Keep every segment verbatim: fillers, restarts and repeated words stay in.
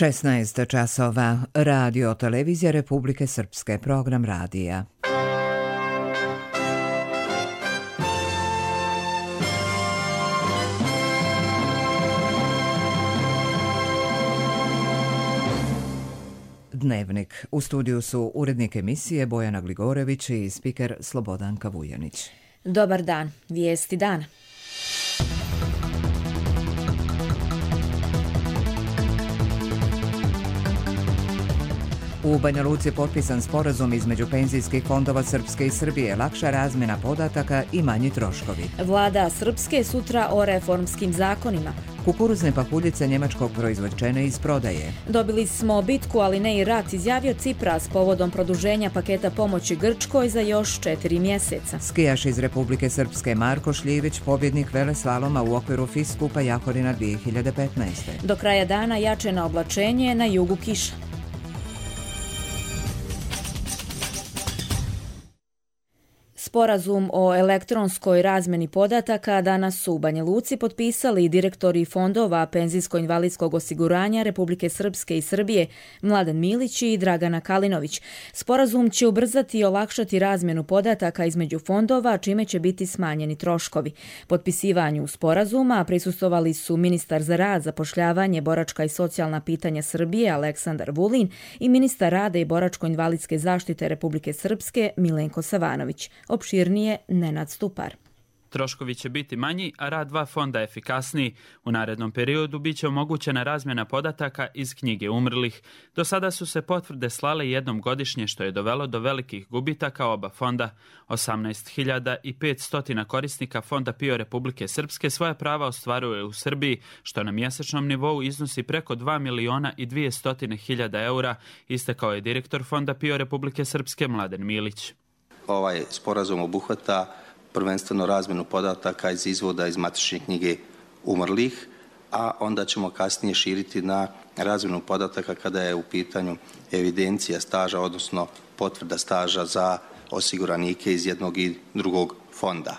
šesnaest časova. Radio Televizija Republike Srpske. Program radija. Dnevnik. U studiju su urednik emisije Bojana Gligorević i spiker Slobodanka Vujanić. Dobar dan. Vijesti dana. U Banja Luci je potpisan sporazum između penzijskih fondova Srpske i Srbije, lakša razmjena podataka i manji troškovi. Vlada Srpske sutra o reformskim zakonima. Kukuruzne pahuljice njemačkog proizvođene iz prodaje. Dobili smo bitku, ali ne i rat, izjavio Cipras povodom produženja paketa pomoći Grčkoj za još četiri mjeseca. Skijaš iz Republike Srpske Marko Šljivić, pobjednik veleslaloma u okviru F I S Kupa Jahorina dvije hiljade petnaeste. Do kraja dana jače na oblačenje, na jugu kiša. Sporazum o elektronskoj razmjeni podataka danas su u Banja Luci potpisali direktori fondova penzijsko-invalidskog osiguranja Republike Srpske i Srbije Mladen Milić i Dragana Kalinović. Sporazum će ubrzati i olakšati razmjenu podataka između fondova, čime će biti smanjeni troškovi. Potpisivanju sporazuma prisustvovali su ministar za rad, zapošljavanje, boračka i socijalna pitanja Srbije Aleksandar Vulin i ministar rada i boračko-invalidske zaštite Republike Srpske Milenko Savanović. Opširnije Nenad Stupar. Troškovi će biti manji, a rad dva fonda efikasniji. U narednom periodu bit će omogućena razmjena podataka iz knjige umrlih. Do sada su se potvrde slale jednom godišnje, što je dovelo do velikih gubitaka oba fonda. osamnaest hiljada petsto korisnika fonda P I O Republike Srpske svoje prava ostvaruje u Srbiji, što na mjesečnom nivou iznosi preko dva miliona i dvjesto hiljada eura, istakao je direktor fonda P I O Republike Srpske Mladen Milić. Ovaj sporazum obuhvata prvenstveno razmjenu podataka iz izvoda iz matične knjige umrlih, a onda ćemo kasnije širiti na razmjenu podataka kada je u pitanju evidencija staža, odnosno potvrda staža za osiguranike iz jednog i drugog fonda.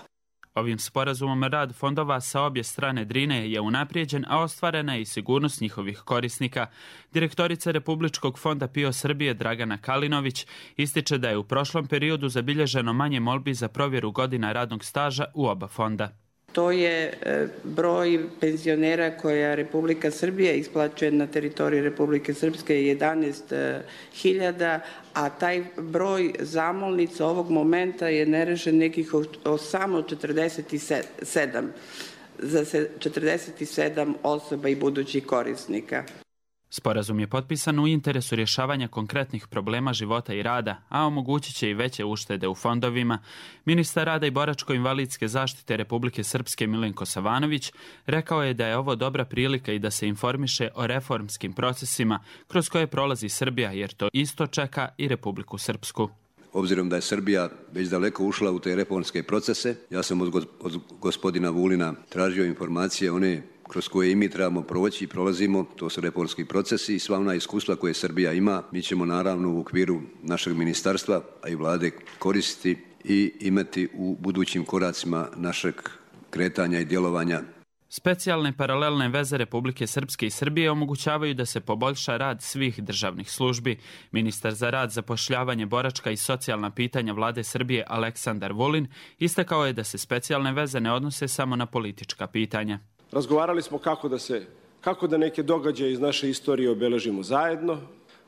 Ovim sporazumom rad fondova sa obje strane Drine je unaprijeđen, a ostvarena je i sigurnost njihovih korisnika. Direktorica Republičkog fonda P I O Srbije Dragana Kalinović ističe da je u prošlom periodu zabilježeno manje molbi za provjeru godina radnog staža u oba fonda. To je broj penzionera koja Republika Srbija isplaćuje na teritoriji Republike Srpske jedanaest hiljada, a taj broj zamolnica ovog momenta je nerešen nekih o samo četrdeset sedam za četrdeset sedam osoba i budućih korisnika. Sporazum je potpisan u interesu rješavanja konkretnih problema života i rada, a omogućit će i veće uštede u fondovima. Ministar rada i boračko-invalidske zaštite Republike Srpske Milenko Savanović rekao je da je ovo dobra prilika i da se informiše o reformskim procesima kroz koje prolazi Srbija, jer to isto čeka i Republiku Srpsku. Obzirom da je Srbija već daleko ušla u te reformske procese, ja sam od gospodina Vulina tražio informacije one kroz koje i mi trebamo proći i prolazimo, to su reformski procesi i sva ona iskustva koje Srbija ima, mi ćemo naravno u okviru našeg ministarstva, a i vlade koristiti i imati u budućim koracima našeg kretanja i djelovanja. Specijalne paralelne veze Republike Srpske i Srbije omogućavaju da se poboljša rad svih državnih službi. Ministar za rad, zapošljavanje, boračka i socijalna pitanja vlade Srbije Aleksandar Vulin istakao je da se specijalne veze ne odnose samo na politička pitanja. Razgovarali smo kako da se, kako da neke događaje iz naše istorije obeležimo zajedno.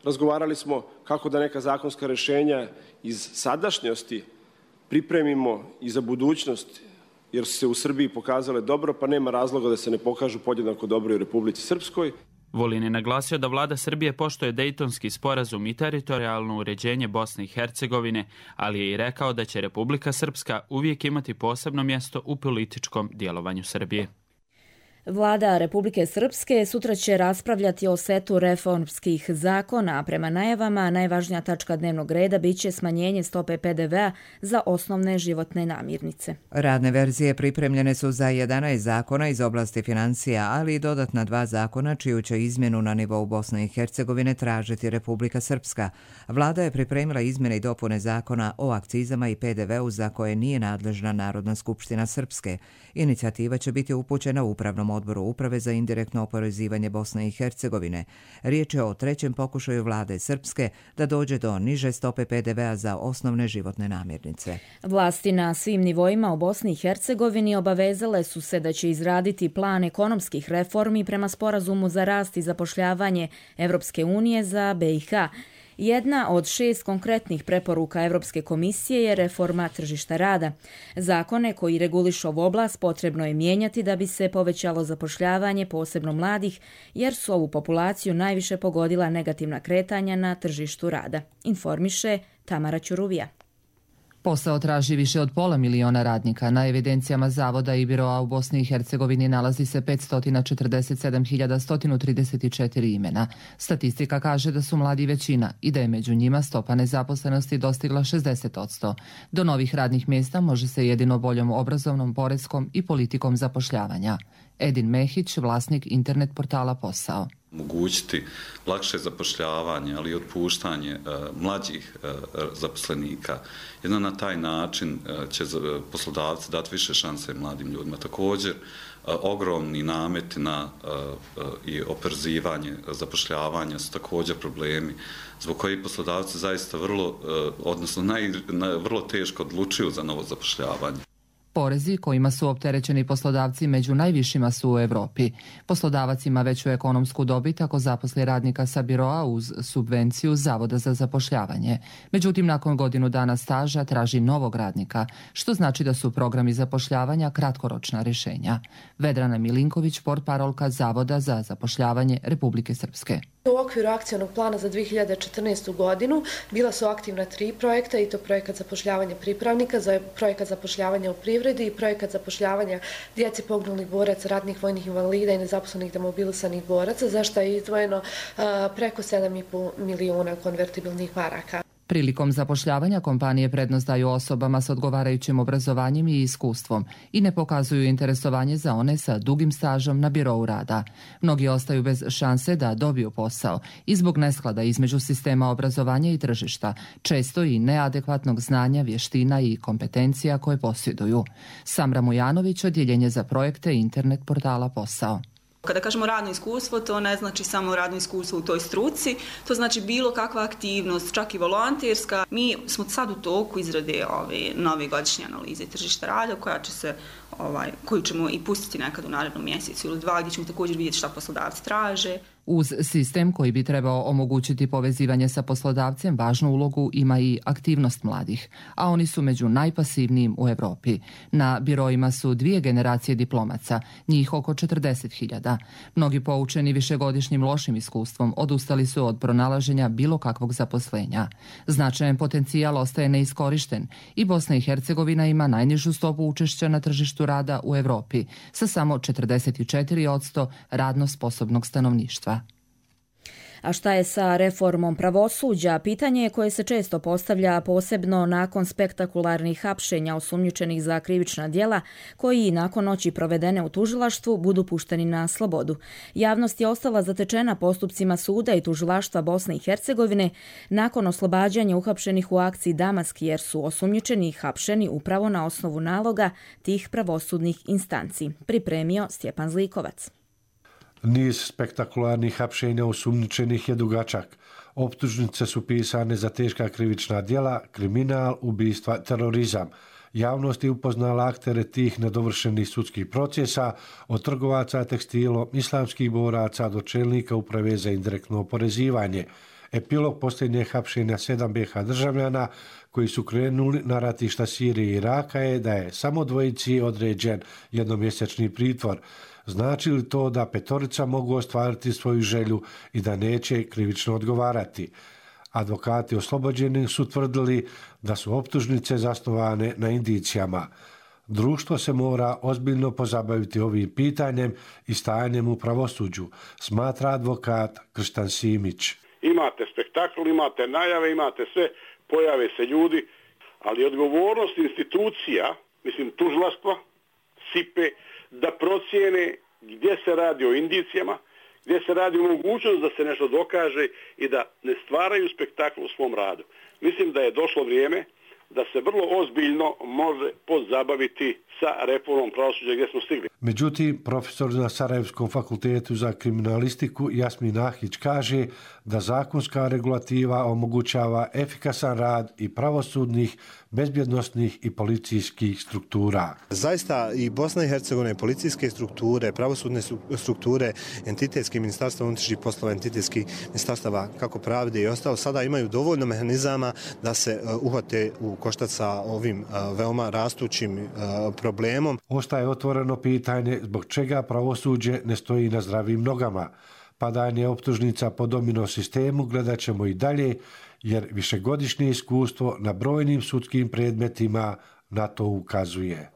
Razgovarali smo kako da neka zakonska rješenja iz sadašnjosti pripremimo i za budućnost, jer su se u Srbiji pokazale dobro, pa nema razloga da se ne pokažu podjednako dobro i u Republici Srpskoj. Vulin je naglasio da vlada Srbije poštuje Dejtonski sporazum i teritorijalno uređenje Bosne i Hercegovine, ali je i rekao da će Republika Srpska uvijek imati posebno mjesto u političkom djelovanju Srbije. Vlada Republike Srpske sutra će raspravljati o setu reformskih zakona, a prema najavama najvažnija tačka dnevnog reda biće smanjenje stope P D V-a za osnovne životne namirnice. Radne verzije pripremljene su za jedanaest zakona iz oblasti financija, ali i dodatna dva zakona čiju će izmjenu na nivou Bosne i Hercegovine tražiti Republika Srpska. Vlada je pripremila izmjene i dopune zakona o akcizama i P D V-u za koje nije nadležna Narodna skupština Srpske. Inicijativa će biti upućena Upravnom odboru uprave za indirektno oporezivanje Bosne i Hercegovine. Riječ je o trećem pokušaju vlade Srpske da dođe do niže stope pe de vea za osnovne životne namirnice. Vlasti na svim nivoima u Bosni i Hercegovini obavezale su se da će izraditi plan ekonomskih reformi prema sporazumu za rast i zapošljavanje Evropske unije za be i ha. Jedna od šest konkretnih preporuka Evropske komisije je reforma tržišta rada. Zakone koji regulišu ovu oblast potrebno je mijenjati da bi se povećalo zapošljavanje, posebno mladih, jer su ovu populaciju najviše pogodila negativna kretanja na tržištu rada, informiše Tamara Ćuruvija. Posao traži više od pola miliona radnika. Na evidencijama zavoda i biroa u Bosni i Hercegovini nalazi se petsto četrdeset sedam hiljada sto trideset četiri imena. Statistika kaže da su mladi većina i da je među njima stopa nezaposlenosti dostigla šezdeset posto. Do novih radnih mjesta može se jedino boljom obrazovnom, poreskom i politikom zapošljavanja. Edin Mehić, vlasnik internet portala Posao. Omogućiti lakše zapošljavanje, ali i otpuštanje e, mlađih e, zaposlenika. Jedno na taj način e, će poslodavci dati više šanse mladim ljudima. Također, e, ogromni nameti na e, e, i oporezivanje zapošljavanja su također problemi zbog kojih poslodavci zaista vrlo, e, odnosno naj, na, vrlo teško odlučuju za novo zapošljavanje. Porezi kojima su opterećeni poslodavci među najvišima su u Europi. Poslodavac ima veću ekonomsku dobit ako zaposli radnika sa biroa uz subvenciju Zavoda za zapošljavanje. Međutim, nakon godinu dana staža traži novog radnika, što znači da su programi zapošljavanja kratkoročna rješenja. Vedrana Milinković, portparolka Zavoda za zapošljavanje Republike Srpske. U okviru akcionog plana za dvije hiljade četrnaestu. godinu bila su aktivna tri projekta, i to projekat zapošljavanja pripravnika, projekat zapošljavanja u privredi i projekat zapošljavanja djeci poginulih boraca, ratnih vojnih invalida i nezaposlenih demobilisanih boraca, za što je izdvojeno uh, preko sedam i po milijuna konvertibilnih maraka. Prilikom zapošljavanja kompanije prednost daju osobama s odgovarajućim obrazovanjem i iskustvom i ne pokazuju interesovanje za one sa dugim stažom na birou rada. Mnogi ostaju bez šanse da dobiju posao i zbog nesklada između sistema obrazovanja i tržišta, često i neadekvatnog znanja, vještina i kompetencija koje posjeduju. Samra Mujanović, odjeljenje za projekte internet portala Posao. Kada kažemo radno iskustvo, to ne znači samo radno iskustvo u toj struci, to znači bilo kakva aktivnost, čak i volonterska. Mi smo sad u toku izrade ove nove godišnje analize tržišta rada, koja će se, ovaj, koju ćemo i pustiti nekad u narednom mjesecu ili dva, gdje ćemo također vidjeti šta poslodavci traže. Uz sistem koji bi trebao omogućiti povezivanje sa poslodavcem, važnu ulogu ima i aktivnost mladih, a oni su među najpasivnijim u Europi. Na biroima su dvije generacije diplomaca, njih oko četrdeset hiljada. Mnogi poučeni višegodišnjim lošim iskustvom odustali su od pronalaženja bilo kakvog zaposlenja. Značajan potencijal ostaje neiskorišten i Bosna i Hercegovina ima najnižu stopu učešća na tržištu rada u Europi sa samo četrdeset četiri posto radno sposobnog stanovništva. A šta je sa reformom pravosuđa? Pitanje je koje se često postavlja, posebno nakon spektakularnih hapšenja osumnjičenih za krivična djela, koji nakon noći provedene u tužilaštvu budu pušteni na slobodu. Javnost je ostala zatečena postupcima suda i tužilaštva Bosne i Hercegovine nakon oslobađanja uhapšenih u akciji Damask, jer su osumnjičeni i hapšeni upravo na osnovu naloga tih pravosudnih instanci. Pripremio Stjepan Zlikovac. Niz spektakularnih hapšenja osumnjičenih je dugačak. Optužnice su pisane za teška krivična djela, kriminal, ubistva, terorizam. Javnost je upoznala aktere tih nedovršenih sudskih procesa, od trgovaca tekstilom, islamskih boraca do čelnika uprave za indirektno oporezivanje. Epilog posljednjeg hapšenja sedam be ha državljana koji su krenuli na ratišta Sirije i Iraka je da je samo dvojici određen jednomjesečni pritvor. Znači li to da petorica mogu ostvariti svoju želju i da neće krivično odgovarati? Advokati oslobođeni su tvrdili da su optužnice zasnovane na indicijama. Društvo se mora ozbiljno pozabaviti ovim pitanjem i stajanjem u pravosuđu, smatra advokat Krštan Simić. Imate spektakl, imate najave, imate sve, pojave se ljudi, ali odgovornost institucija, mislim tužilaštva, sipe, da procijene gdje se radi o indicijama, gdje se radi o mogućnost da se nešto dokaže i da ne stvaraju spektakl u svom radu. Mislim da je došlo vrijeme da se vrlo ozbiljno može pozabaviti sa reformom pravosuđa gdje smo stigli. Međutim, profesor na Sarajevskom fakultetu za kriminalistiku Jasmin Ahić kaže da zakonska regulativa omogućava efikasan rad i pravosudnih, bezbjednosnih i policijskih struktura. Zaista i Bosna i Hercegovina, policijske strukture, pravosudne strukture, entitetski ministarstva unutrašnjih poslova, entitetski ministarstava kako pravde i ostalo, sada imaju dovoljno mehanizama da se uhvate u koštac sa ovim veoma rastućim problemom. Ostaje otvoreno pitanje zbog čega pravosuđe ne stoji na zdravim nogama. Padanje optužnica po domino sistemu gledat ćemo i dalje, jer višegodišnje iskustvo na brojnim sudskim predmetima na to ukazuje.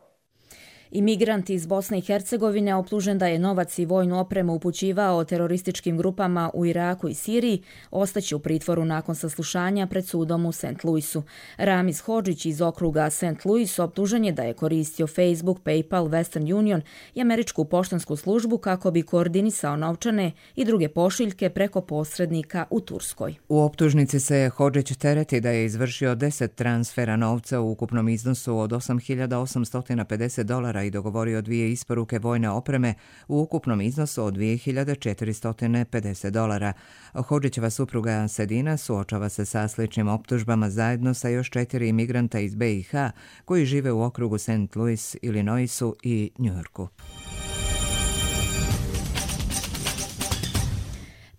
Imigrant iz Bosne i Hercegovine optužen da je novac i vojnu opremu upućivao terorističkim grupama u Iraku i Siriji ostaće u pritvoru nakon saslušanja pred sudom u Saint Louisu. Ramiz Hodžić iz okruga Saint Louis optužen je da je koristio Facebook, PayPal, Western Union i američku poštansku službu kako bi koordinisao novčane i druge pošiljke preko posrednika u Turskoj. U optužnici se Hodžić tereti da je izvršio deset transfera novca u ukupnom iznosu od osam hiljada osamsto pedeset dolara i dogovorio dvije isporuke vojne opreme u ukupnom iznosu od dvije hiljade četiristo pedeset dolara. Hodžićeva supruga Sedina suočava se sa sličnim optužbama zajedno sa još četiri imigranta iz B i H koji žive u okrugu Saint Louis, Illinoisu i Njujorku.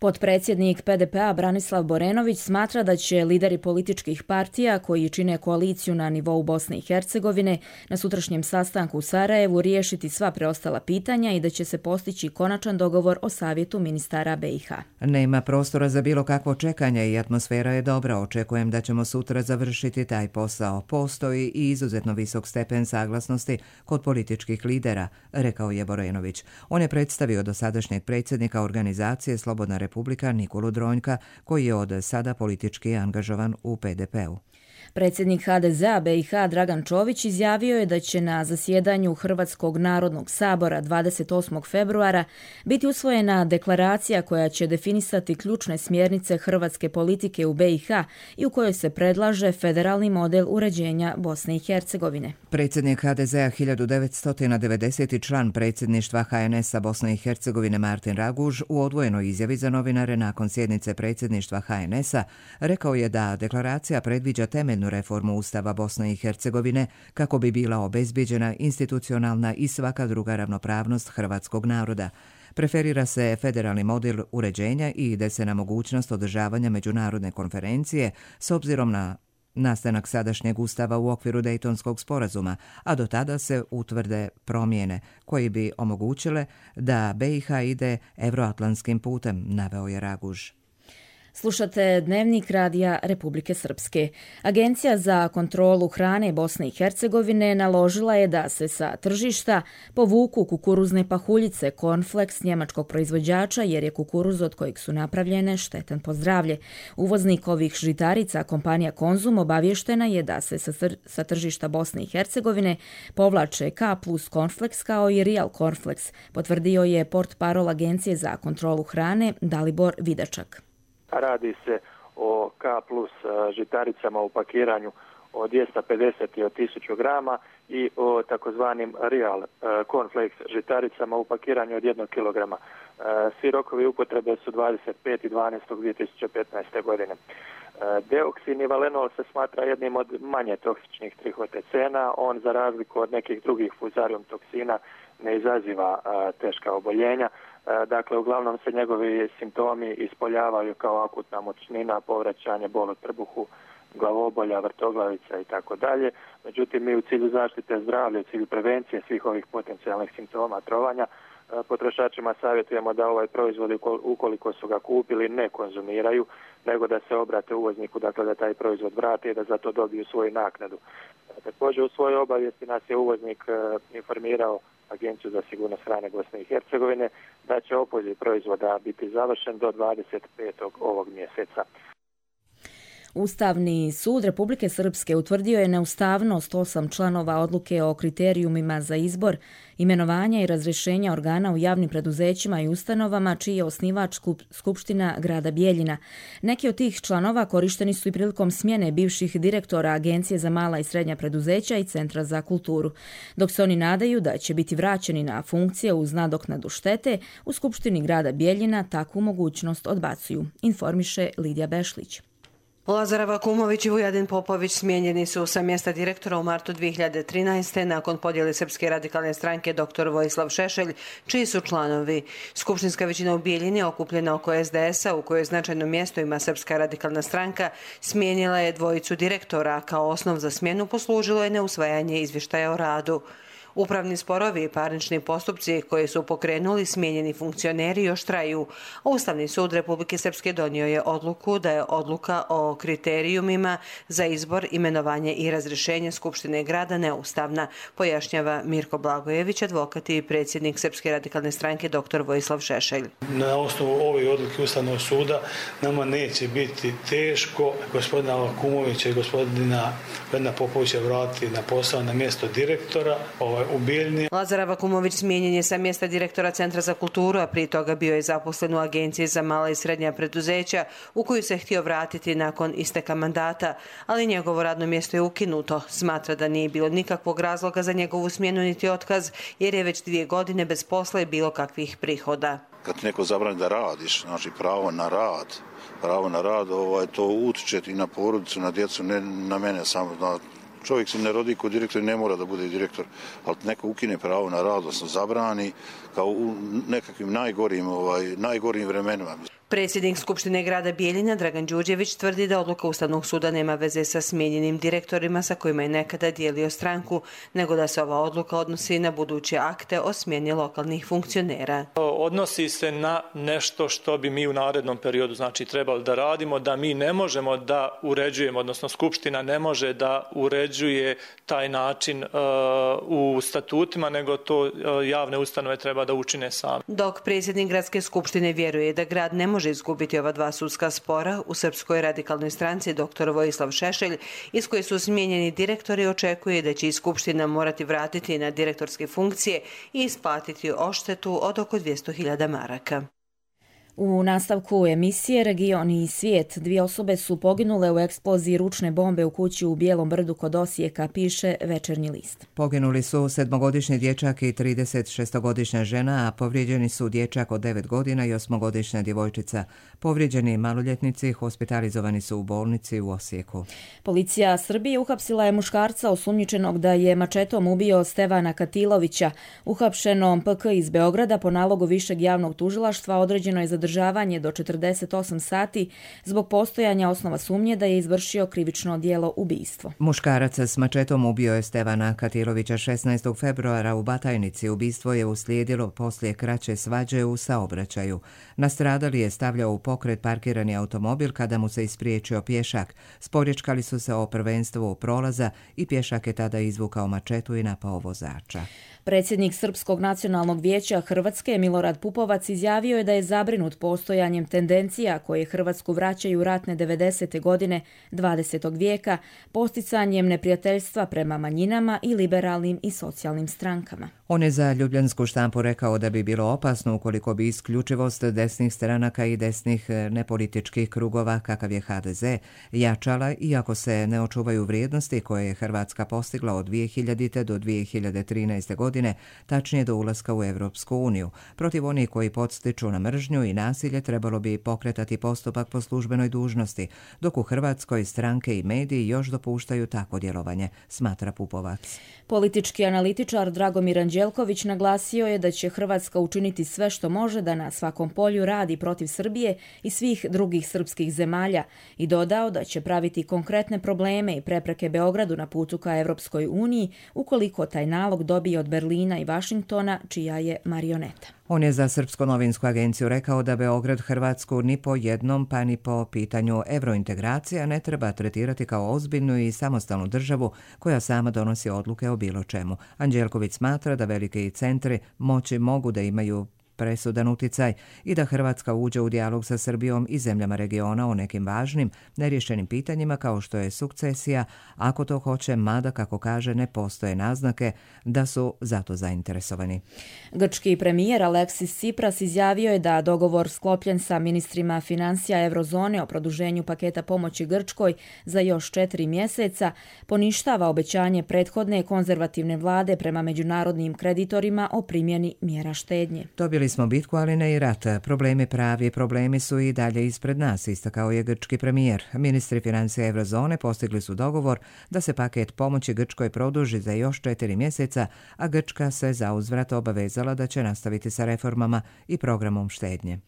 Potpredsjednik P D P-a Branislav Borenović smatra da će lideri političkih partija koji čine koaliciju na nivou Bosne i Hercegovine na sutrašnjem sastanku u Sarajevu riješiti sva preostala pitanja i da će se postići konačan dogovor o savjetu ministara B i H. Nema prostora za bilo kakvo čekanje i atmosfera je dobra. Očekujem da ćemo sutra završiti taj posao. Postoji i izuzetno visok stepen saglasnosti kod političkih lidera, rekao je Borenović. On je predstavio dosadašnjeg predsjednika organizacije Slobodna Republika Nikolu Dronjka, koji je od sada politički angažovan u P D P-u. Predsjednik H D Z-a B i H Dragan Čović izjavio je da će na zasjedanju Hrvatskog narodnog sabora dvadeset osmog februara biti usvojena deklaracija koja će definisati ključne smjernice hrvatske politike u B i H i u kojoj se predlaže federalni model uređenja Bosne i Hercegovine. Predsjednik H D Z-a hiljadu devetsto devedeseti član predsjedništva H N S-a Bosne i Hercegovine Martin Raguž u odvojenoj izjavi za novinare nakon sjednice predsjedništva H N S-a rekao je da deklaracija predviđa temeljnu reformu Ustava Bosne i Hercegovine kako bi bila obezbijeđena institucionalna i svaka druga ravnopravnost hrvatskog naroda. Preferira se federalni model uređenja i ide se na mogućnost održavanja međunarodne konferencije s obzirom na nastanak sadašnjeg ustava u okviru Dejtonskog sporazuma, a do tada se utvrde promjene koji bi omogućile da B i H ide evroatlantskim putem, naveo je Raguž. Slušate Dnevnik radija Republike Srpske. Agencija za kontrolu hrane Bosne i Hercegovine naložila je da se sa tržišta povuku kukuruzne pahuljice Cornflakes njemačkog proizvođača jer je kukuruz od kojeg su napravljene štetan po zdravlje. Uvoznik ovih žitarica, kompanija Konzum, obavještena je da se sa tržišta Bosne i Hercegovine povlače K plus Cornflakes kao i Real Cornflakes, potvrdio je portparol Agencije za kontrolu hrane Dalibor Vidačak. Radi se o K plus žitaricama u pakiranju od dvjesto pedeset i od tisuću grama i o takozvanim Real Cornflakes žitaricama u pakiranju od jednog kilograma. Svi rokovi upotrebe su dvadeset peti dvanaesti dvije tisuće petnaeste. godine. Deoksin i valenol se smatra jednim od manje toksičnih trihotecena. On, za razliku od nekih drugih fuzarium toksina, ne izaziva teška oboljenja. Dakle, uglavnom se njegovi simptomi ispoljavaju kao akutna močnina, povraćanje, bol u trbuhu, glavobolja, vrtoglavica i tako dalje. Međutim, mi u cilju zaštite zdravlja, u cilju prevencije svih ovih potencijalnih simptoma trovanja, potrošačima savjetujemo da ovaj proizvod, ukoliko su ga kupili, ne konzumiraju, nego da se obrate uvozniku, dakle da taj proizvod vrate i da za to dobiju svoju naknadu. Također, u svojoj obavijesti nas je uvoznik informirao Agenciju za sigurnost hrane Bosne i Hercegovine da će opoziv proizvoda biti završen do dvadeset petog ovog mjeseca. Ustavni sud Republike Srpske utvrdio je neustavnost osam članova odluke o kriterijumima za izbor, imenovanja i razrješenja organa u javnim preduzećima i ustanovama čiji je osnivač skup, Skupština grada Bijeljina. Neki od tih članova korišteni su i prilikom smjene bivših direktora Agencije za mala i srednja preduzeća i Centra za kulturu. Dok se oni nadaju da će biti vraćeni na funkcije uz nadoknadu štete, u Skupštini grada Bijeljina takvu mogućnost odbacuju, informiše Lidija Bešlić. Lazar Vakumović i Vujadin Popović smijenjeni su sa mjesta direktora u martu dvije hiljade trinaeste. nakon podjele Srpske radikalne stranke dr Vojislav Šešelj, čiji su članovi. Skupštinska većina u Bijeljini, okupljena oko es de es a, u kojoj značajno mjesto ima Srpska radikalna stranka, smijenila je dvojicu direktora. Kao osnov za smjenu poslužilo je neusvajanje izvještaja o radu. Upravni sporovi i parnični postupci koje su pokrenuli smijenjeni funkcioneri još traju. Ustavni sud Republike Srpske donio je odluku da je odluka o kriterijumima za izbor, imenovanje i razrješenje Skupštine grada neustavna, pojašnjava Mirko Blagojević, advokat i predsjednik Srpske radikalne stranke dr Vojislav Šešelj. Na osnovu ove odluke Ustavnog suda nama neće biti teško gospodina Vakumovića i gospodina Vujadina Popovića vratiti na posao na mjesto direktora ovaj, u Bijeljini. Lazar Vakumović smijenjen je sa mjesta direktora Centra za kulturu, a prije toga bio je zaposlen u Agenciji za mala i srednja preduzeća, u koju se htio vratiti nakon isteka mandata, ali njegovo radno mjesto je ukinuto. Smatra da nije bilo nikakvog razloga za njegovu smjenu niti otkaz, jer je već dvije godine bez posla i bilo kakvih prihoda. Kad neko zabrani da radiš, znači pravo na rad, pravo na rad, ovaj, to utiče i na porodicu, na djecu, ne na mene samo. Na, čovjek se ne rodi kod direktor i ne mora da bude direktor, ali neko ukine pravo na rad, odnosno zabrani, kao u nekakvim najgorim, ovaj, najgorim vremenima. Predsjednik Skupštine grada Bijeljina Dragan Đurđević tvrdi da odluka Ustavnog suda nema veze sa smijenjenim direktorima sa kojima je nekada dijelio stranku, nego da se ova odluka odnosi na buduće akte o smjeni lokalnih funkcionera. Odnosi se na nešto što bi mi u narednom periodu znači trebali da radimo, da mi ne možemo da uređujemo, odnosno Skupština ne može da uređuje taj način uh, u statutima, nego to uh, javne ustanove treba da učine sami. Dok predsjednik gradske skupštine vjeruje da grad ne može može izgubiti ova dva sudska spora, u Srpskoj radikalnoj stranci dr Vojislav Šešelj, iz koje su smijenjeni direktori, očekuje da će i Skupština morati vratiti na direktorske funkcije i isplatiti odštetu od oko dvjesto hiljada maraka. U nastavku emisije Region i svijet dvije osobe su poginule u eksploziji ručne bombe u kući u Bijelom brdu kod Osijeka, piše Večernji list. Poginuli su sedmogodišnji dječak i trideset šestogodišnja žena, a povrijeđeni su dječak od devet godina i osmogodišnja djevojčica. Povrijeđeni maloljetnici hospitalizovani su u bolnici u Osijeku. Policija Srbije uhapsila je muškarca osumnjičenog da je mačetom ubio Stevana Katilovića. Uhapšenom P K iz Beograda po nalogu Višeg javnog tužilaštva određeno je zadržavanje do četrdeset osam sati zbog postojanja osnova sumnje da je izvršio krivično djelo ubistvo. Muškarac s mačetom ubio je Stevana Katilovića šesnaestog februara u Batajnici. Ubistvo je uslijedilo poslije kraće svađe u saobraćaju. Nastradali je stavljao u pokret parkirani automobil kada mu se ispriječio pješak. Sporječkali su se o prvenstvu prolaza i pješak je tada izvukao mačetu i napao vozača. Predsjednik Srpskog nacionalnog vijeća Hrvatske Milorad Pupovac izjavio je da je zabrinut postojanjem tendencija koje Hrvatsku vraćaju ratne devedesete godine dvadesetog vijeka, posticanjem neprijateljstva prema manjinama i liberalnim i socijalnim strankama. On je za Ljubljansku štampu rekao da bi bilo opasno ukoliko bi isključivost desnih stranaka i desnih nepolitičkih krugova, kakav je H D Z, jačala, iako se ne očuvaju vrijednosti koje je Hrvatska postigla od dvije hiljadite do dvije hiljade trinaeste godine, tačnije do ulaska u Evropsku uniju. Protiv onih koji podstiču na mržnju i nasilje trebalo bi pokretati postupak po službenoj dužnosti, dok u Hrvatskoj stranke i mediji još dopuštaju takvo djelovanje, smatra Pupovac. Politički analitičar Dragomir Anđelković naglasio je da će Hrvatska učiniti sve što može da na svakom polju radi protiv Srbije i svih drugih srpskih zemalja i dodao da će praviti konkretne probleme i prepreke Beogradu na putu ka Evropskoj uniji ukoliko taj nalog dobije od Berlina i Vašingtona, čija je marioneta. On je za Srpsku novinsku agenciju rekao da Beograd Hrvatsku ni po jednom pa ni po pitanju evrointegracija ne treba tretirati kao ozbiljnu i samostalnu državu koja sama donosi odluke o bilo čemu. Anđelković smatra da velike centri moći mogu da imaju presudan uticaj i da Hrvatska uđe u dijalog sa Srbijom i zemljama regiona o nekim važnim, neriješenim pitanjima kao što je sukcesija, ako to hoće, mada, kako kaže, ne postoje naznake da su zato zainteresovani. Grčki premijer Aleksis Tsipras izjavio je da dogovor sklopljen sa ministrima financija Eurozone o produženju paketa pomoći Grčkoj za još četiri mjeseca poništava obećanje prethodne konzervativne vlade prema međunarodnim kreditorima o primjeni mjera štednje. Dobili smo bitku, ali ne i rat. Problemi pravi, problemi su i dalje ispred nas, istakao je grčki premijer. Ministri financija Eurozone postigli su dogovor da se paket pomoći Grčkoj produži za još četiri mjeseca, a Grčka se zauzvrat obavezala da će nastaviti sa reformama i programom štednje.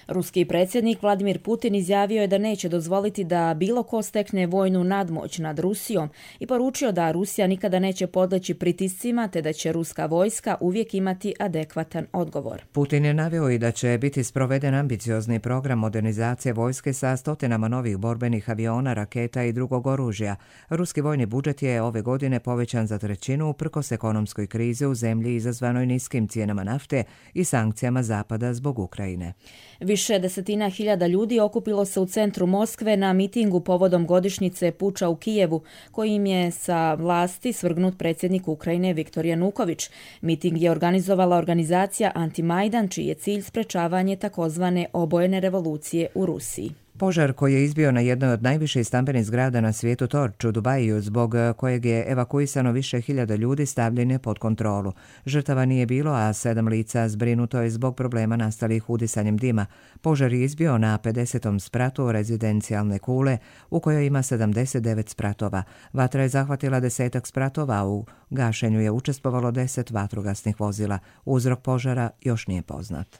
Ruski predsjednik Vladimir Putin izjavio je da neće dozvoliti da bilo ko stekne vojnu nadmoć nad Rusijom i poručio da Rusija nikada neće podleći pritiscima te da će ruska vojska uvijek imati adekvatan odgovor. Putin je naveo i da će biti sproveden ambiciozni program modernizacije vojske sa stotinama novih borbenih aviona, raketa i drugog oružja. Ruski vojni budžet je ove godine povećan za trećinu uprkos ekonomskoj krizi u zemlji izazvanoj niskim cijenama nafte i sankcijama Zapada zbog Ukrajine. Više desetina hiljada ljudi okupilo se u centru Moskve na mitingu povodom godišnjice puča u Kijevu, kojim je sa vlasti svrgnut predsjednik Ukrajine Viktor Januković. Miting je organizovala organizacija Anti-Majdan, čiji je cilj sprečavanje takozvane obojene revolucije u Rusiji. Požar koji je izbio na jednoj od najviših stambenih zgrada na svijetu Torč u Dubaju, zbog kojeg je evakuisano više hiljada ljudi, stavljen je pod kontrolu. Žrtava nije bilo, a sedam lica zbrinuto je zbog problema nastalih udisanjem dima. Požar je izbio na pedesetom spratu rezidencijalne kule, u kojoj ima sedamdeset devet spratova. Vatra je zahvatila desetak spratova, u gašenju je učestvovalo deset vatrogasnih vozila. Uzrok požara još nije poznat.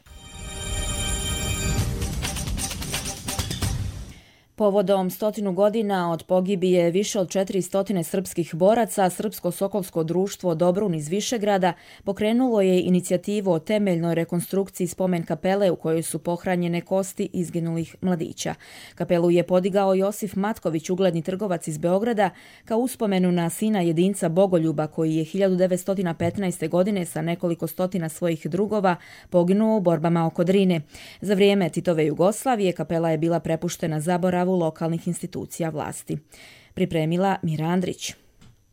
Povodom stotinu godina od pogibije više od četiri stotine srpskih boraca, Srpsko-Sokolsko društvo Dobrun iz Višegrada pokrenulo je inicijativu o temeljnoj rekonstrukciji spomen kapele u kojoj su pohranjene kosti izginulih mladića. Kapelu je podigao Josif Matković, ugledni trgovac iz Beograda, kao uspomenu na sina jedinca Bogoljuba koji je hiljadu devetsto petnaeste. godine sa nekoliko stotina svojih drugova poginuo u borbama oko Drine. Za vrijeme Titove Jugoslavije kapela je bila prepuštena zaboravu lokalnih institucija vlasti. Pripremila Mira Andrić.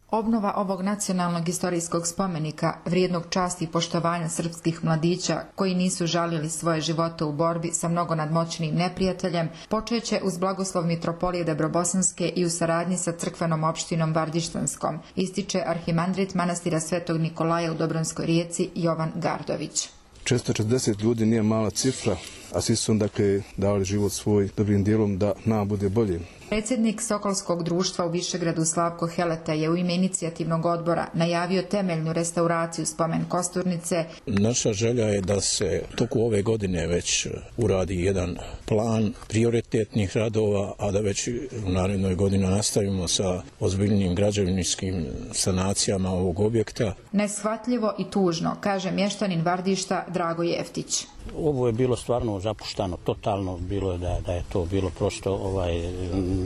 Obnova ovog nacionalnog istorijskog spomenika, vrijednog časti i poštovanja srpskih mladića koji nisu žalili svoje živote u borbi sa mnogo nadmoćnim neprijateljem, počeće uz blagoslov mitropolije Debrobosanske i u saradnji sa crkvenom opštinom Vardištanskom, ističe arhimandrit manastira Svetog Nikolaja u Dobronskoj Rijeci Jovan Gardović. četiristo četrdeset ljudi nije mala cifra, a svi su dakle dali život svoj dobrim dijelom da nam bude bolje. Predsjednik Sokolskog društva u Višegradu Slavko Heleta je u ime inicijativnog odbora najavio temeljnu restauraciju spomen kosturnice. Naša želja je da se toku ove godine već uradi jedan plan prioritetnih radova, a da već u narednoj godini nastavimo sa ozbiljnim građevinskim sanacijama ovog objekta. Neshvatljivo i tužno, kaže mještanin Vardišta Drago Jeftić. Ovo je bilo stvarno zapuštano, totalno bilo je da, da je to bilo prosto ovaj,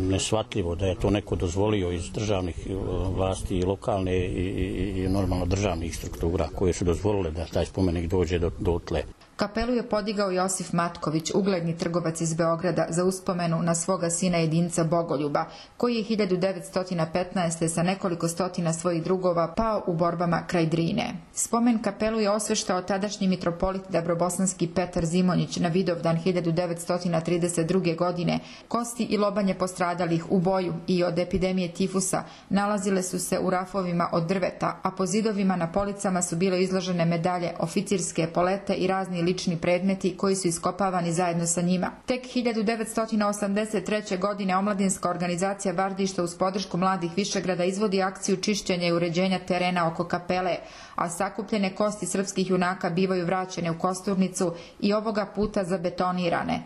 neshvatljivo, da je to neko dozvolio iz državnih vlasti i lokalne i, i, i normalno državnih struktura koje su dozvolile da taj spomenik dođe do, do tle. Kapelu je podigao Josif Matković, ugledni trgovac iz Beograda, za uspomenu na svoga sina jedinca Bogoljuba, koji je hiljadu devetsto petnaeste. sa nekoliko stotina svojih drugova pao u borbama kraj Drine. Spomen kapelu je osveštao tadašnji mitropolit Dabrobosanski Petar Zimonjić na Vidovdan hiljadu devetsto trideset druge. godine. Kosti i lobanje postradalih u boju i od epidemije tifusa nalazile su se u rafovima od drveta, a po zidovima na policama su bile izložene medalje, oficirske polete i razni lični predmeti koji su iskopavani zajedno sa njima. Tek hiljadu devetsto osamdeset treće. godine omladinska organizacija Vardišta uz podršku mladih Višegrada izvodi akciju čišćenja i uređenja terena oko kapele, a sakupljene kosti srpskih junaka bivaju vraćene u kosturnicu i ovoga puta zabetonirane.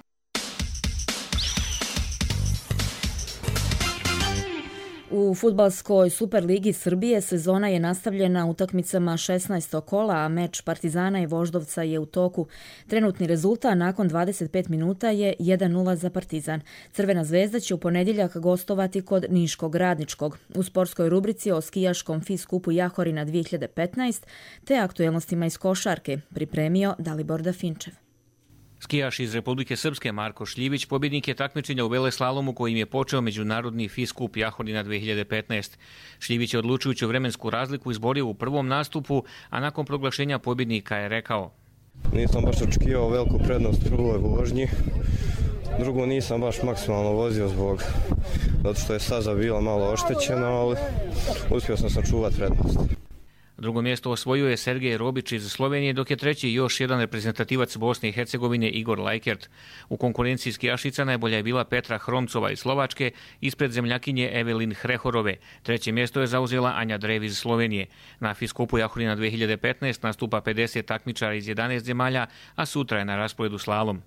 U fudbalskoj Superligi Srbije sezona je nastavljena utakmicama šesnaestog kola, a meč Partizana i Voždovca je u toku. Trenutni rezultat nakon dvadeset pet minuta je jedan nula za Partizan. Crvena zvezda će u ponedjeljak gostovati kod Niškog Radničkog. U sportskoj rubrici o skijaškom FIS kupu Jahorina dvije hiljade petnaeste te aktuelnostima iz košarke pripremio Dalibor Dafinčev. Skijaš iz Republike Srpske Marko Šljivić pobjednik je takmičenja u veleslalomu kojim je počeo međunarodni F I S Kup Jahodina dve hiljade petnaest. Šljivić je odlučujuću vremensku razliku izborio u prvom nastupu, a nakon proglašenja pobjednika je rekao: Nisam baš očekivao veliku prednost u prvoj vožnji. Drugo, nisam baš maksimalno vozio zbog zato što je staza bila malo oštećena, ali uspio sam sačuvati prednost. Drugo mjesto osvojio je Sergej Robić iz Slovenije, dok je treći još jedan reprezentativac Bosne i Hercegovine Igor Lajkert. U konkurenciji skijašica najbolja je bila Petra Hromcova iz Slovačke, ispred zemljakinje Evelin Hrehorove. Treće mjesto je zauzela Anja Drev iz Slovenije. Na F I S Kupu Jahodina dve hiljade petnaest nastupa pedeset takmičara iz jedanaest zemalja, a sutra je na rasporedu slalom.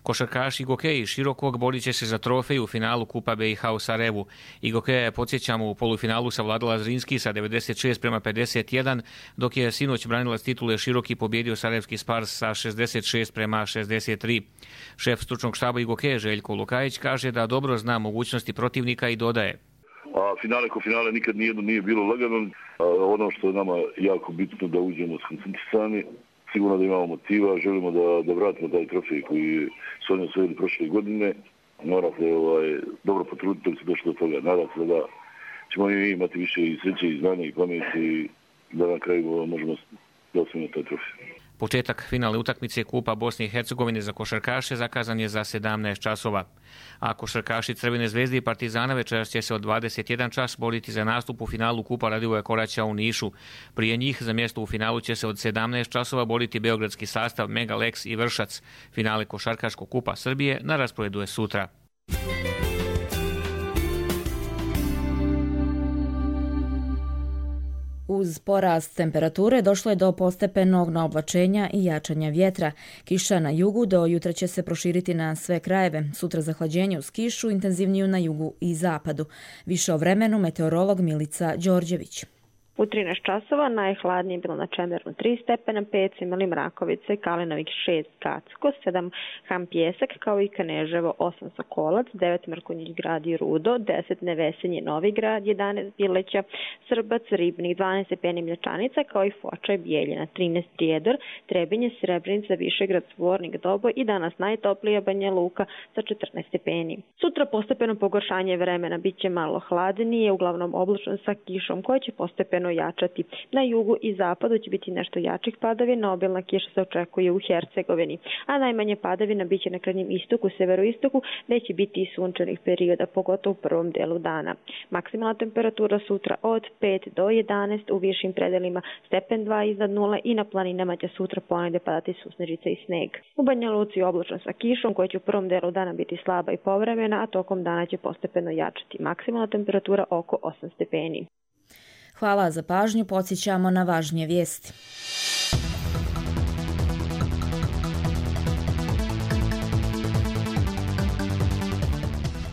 Košarkaš Igokeji Širokog borit će se za trofej u finalu Kupa B i H u Sarajevu. Igokeja je, podsjećamo, u polufinalu savladala Zrinski sa devedeset šest prema pedeset jedan, dok je sinoć branilac titule Široki pobjedio Sarajevski Spars sa šezdeset šest prema šezdeset tri. Šef stručnog štaba Igokeje Željko Lukajić kaže da dobro zna mogućnosti protivnika i dodaje: A finale ko finale nikad nijedno nije bilo lagano. A ono što je nama jako bitno da uđemo skoncentrisani, sigurno da imamo motiva, želimo da, da vratimo taj trofej koji su oni osvojili prošle godine. Morate ovaj, dobro potruditi da se došlo do toga. Nadam se da ćemo imati više i sreće i znanja i pameti i da na kraju možemo da osvojimo taj trofej. Početak finalne utakmice Kupa Bosne i Hercegovine za košarkaše zakazan je za sedamnaest časova. A košarkaši Crvene zvezde i Partizana večeras će se od dvadeset jedan čas boriti za nastup u finalu Kupa Radivoja Koraća u Nišu. Prije njih za mjesto u finalu će se od sedamnaest časova boriti beogradski sastav Mega Lex i Vršac. Finale košarkaškog Kupa Srbije na rasporedu je sutra. Uz porast temperature došlo je do postepenog naoblačenja i jačanja vjetra. Kiša na jugu do jutra će se proširiti na sve krajeve. Sutra zahlađenje uz kišu, intenzivniju na jugu i zapadu. Više o vremenu meteorolog Milica Đorđević. U trinaest časova najhladnije je bilo na Čemernu tri stepena, pet Imali Mrakovice, Kalinovik šest Kacko, sedam Ham Pjesak, kao i Kaneževo, osam Sokolac, devet Mrkonjić Grad i Rudo, deset Nevesenje Novi Grad, jedanaest Bileća, Srbac, Ribnik, dvanaest stepeni Mlječanica, kao i Foča i Bijeljina, trinaest Prijedor, Trebinje, Srebrenica, Višegrad, Svornik, Dobo i danas najtoplija Banja Luka sa četrnaest stepeni. Sutra postepeno pogoršanje vremena, bit će malo hladnije, uglavnom oblačno sa kišom koja će postepeno jačati. Na jugu i zapadu će biti nešto jačih padavina, obilna kiša se očekuje u Hercegovini, a najmanje padavina biće na krajnjem istoku, severoistoku, gdje će biti i sunčanih perioda, pogotovo u prvom delu dana. Maksimalna temperatura sutra od pet do jedanaest, u višim predelima stepen dva iznad nule i na planinama će sutra ponegdje padati susnežica i sneg. U Banja Luci oblačno sa kišom koja će u prvom delu dana biti slaba i povremena, a tokom dana će postepeno jačati. Maksimalna temperatura oko osam stepeni. Hvala za pažnju, podsjećamo na važnije vijesti.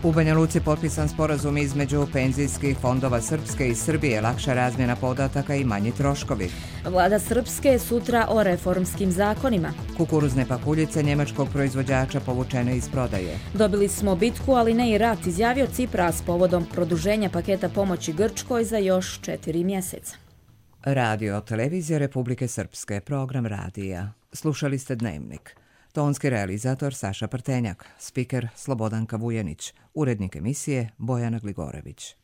U Banja Luci potpisan sporazum između penzijskih fondova Srpske i Srbije, lakša razmjena podataka i manji troškovi. Vlada Srpske sutra o reformskim zakonima. Kukuruzne pakuljice njemačkog proizvođača povučene iz prodaje. Dobili smo bitku, ali ne i rat, izjavio Cipras povodom produženja paketa pomoći Grčkoj za još četiri mjeseca. Radio televizija Republike Srpske, program radija. Slušali ste Dnevnik. Tonski realizator Saša Prtenjak, spiker Slobodanka Vujenić, urednik emisije Bojana Gligorević.